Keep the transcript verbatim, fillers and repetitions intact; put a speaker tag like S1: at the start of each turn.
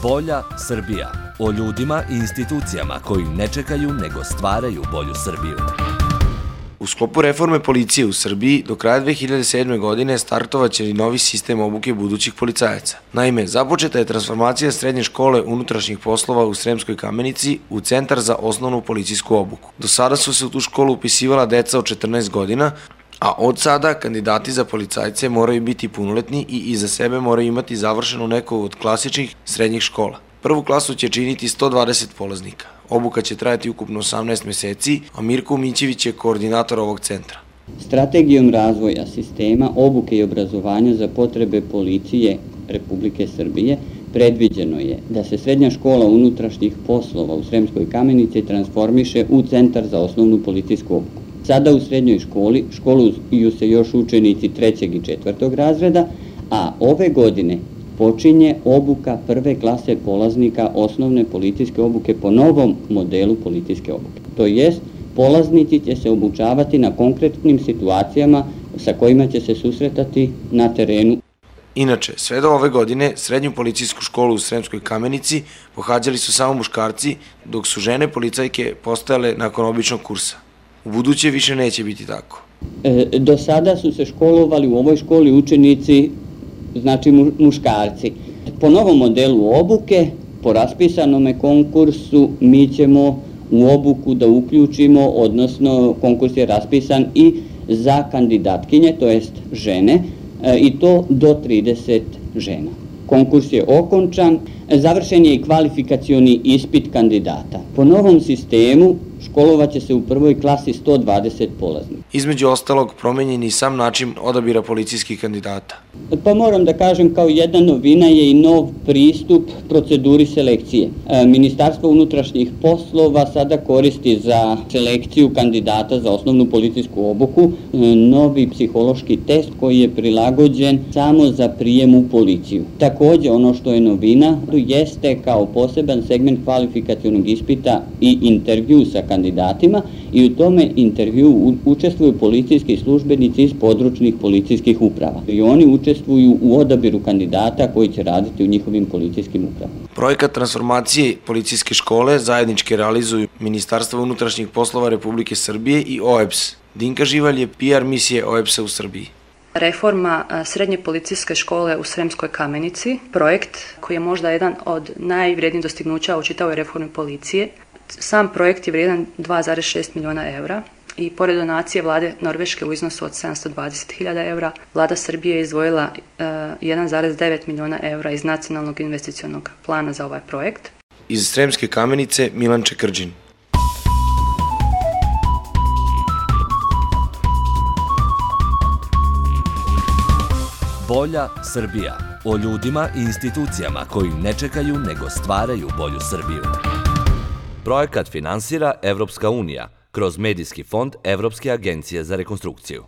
S1: Bolja Srbija. O ljudima i institucijama koji ne čekaju nego stvaraju bolju Srbiju.
S2: U sklopu reforme policije u Srbiji do kraja dve hiljade sedme. godine startovaće i novi sistem obuke budućih policajaca. Naime, započeta je transformacija srednje škole unutrašnjih poslova u Sremskoj Kamenici u Centar za osnovnu policijsku obuku. Do sada su se u tu školu upisivala deca od četrnaest godina, a od sada kandidati za policajce moraju biti punoletni i iza sebe moraju imati završenu neku od klasičnih srednjih škola. Prvu klasu će činiti sto dvadeset polaznika. Obuka će trajati ukupno osamnaest meseci, a Mirko Mićević je koordinator ovog centra.
S3: Strategijom razvoja sistema obuke i obrazovanja za potrebe policije Republike Srbije predviđeno je da se srednja škola unutrašnjih poslova u Sremskoj Kamenici transformiše u Centar za osnovnu policijsku obuku. Sada u srednjoj školi školuju se još učenici trećeg i četvrtog razreda, a ove godine počinje obuka prve klase polaznika osnovne policijske obuke po novom modelu policijske obuke. To jest, polaznici će se obučavati na konkretnim situacijama sa kojima će se susretati na terenu.
S2: Inače, sve do ove godine srednju policijsku školu u Sremskoj Kamenici pohađali su samo muškarci, dok su žene policajke postajale nakon običnog kursa. U buduće više neće biti tako.
S3: E, do sada su se školovali u ovoj školi učenici, znači muškarci. Po novom modelu obuke, po raspisanome konkursu, mi ćemo u obuku da uključimo, odnosno konkurs je raspisan i za kandidatkinje, to jest žene, i to do trideset žena. Konkurs je okončan, završen je i kvalifikacioni ispit kandidata. Po novom sistemu školovaće se u prvoj klasi sto dvadeset polaznika.
S2: Između ostalog, promenjen je i sam način odabira policijskih kandidata.
S3: Pa moram da kažem, kao jedna novina je i nov pristup proceduri selekcije. Ministarstvo unutrašnjih poslova sada koristi za selekciju kandidata za osnovnu policijsku obuku novi psihološki test koji je prilagođen samo za prijem u policiju. Takođe, ono što je novina jeste kao poseban segment kvalifikacionog ispita i intervju sa kandidatima i u tome intervju učestvuju policijski službenici iz područnih policijskih uprava. I oni učestvuju u odabiru kandidata koji će raditi u njihovim policijskim upravama.
S2: Projekat transformacije policijske škole zajednički realizuju Ministarstvo unutrašnjih poslova Republike Srbije i O E B S. Dinka Živalj je P R misije O E B S-a u Srbiji.
S4: Reforma srednje policijske škole u Sremskoj Kamenici, projekt koji je možda jedan od najvrednijih dostignuća u čitavoj reformi policije. Sam projekt je vrijedan dva zarez šest miliona evra i pored donacije vlade Norveške u iznosu od sedamsto dvadeset hiljada evra, vlada Srbije je izdvojila jedan zarez devet miliona evra iz nacionalnog investicionog plana za ovaj projekt.
S2: Iz Sremske Kamenice Milan Čekrđin.
S1: Bolja Srbija. O ljudima i institucijama koji ne čekaju nego stvaraju bolju Srbiju. Projekat finansira Evropska unija kroz Medijski fond Evropske agencije za rekonstrukciju.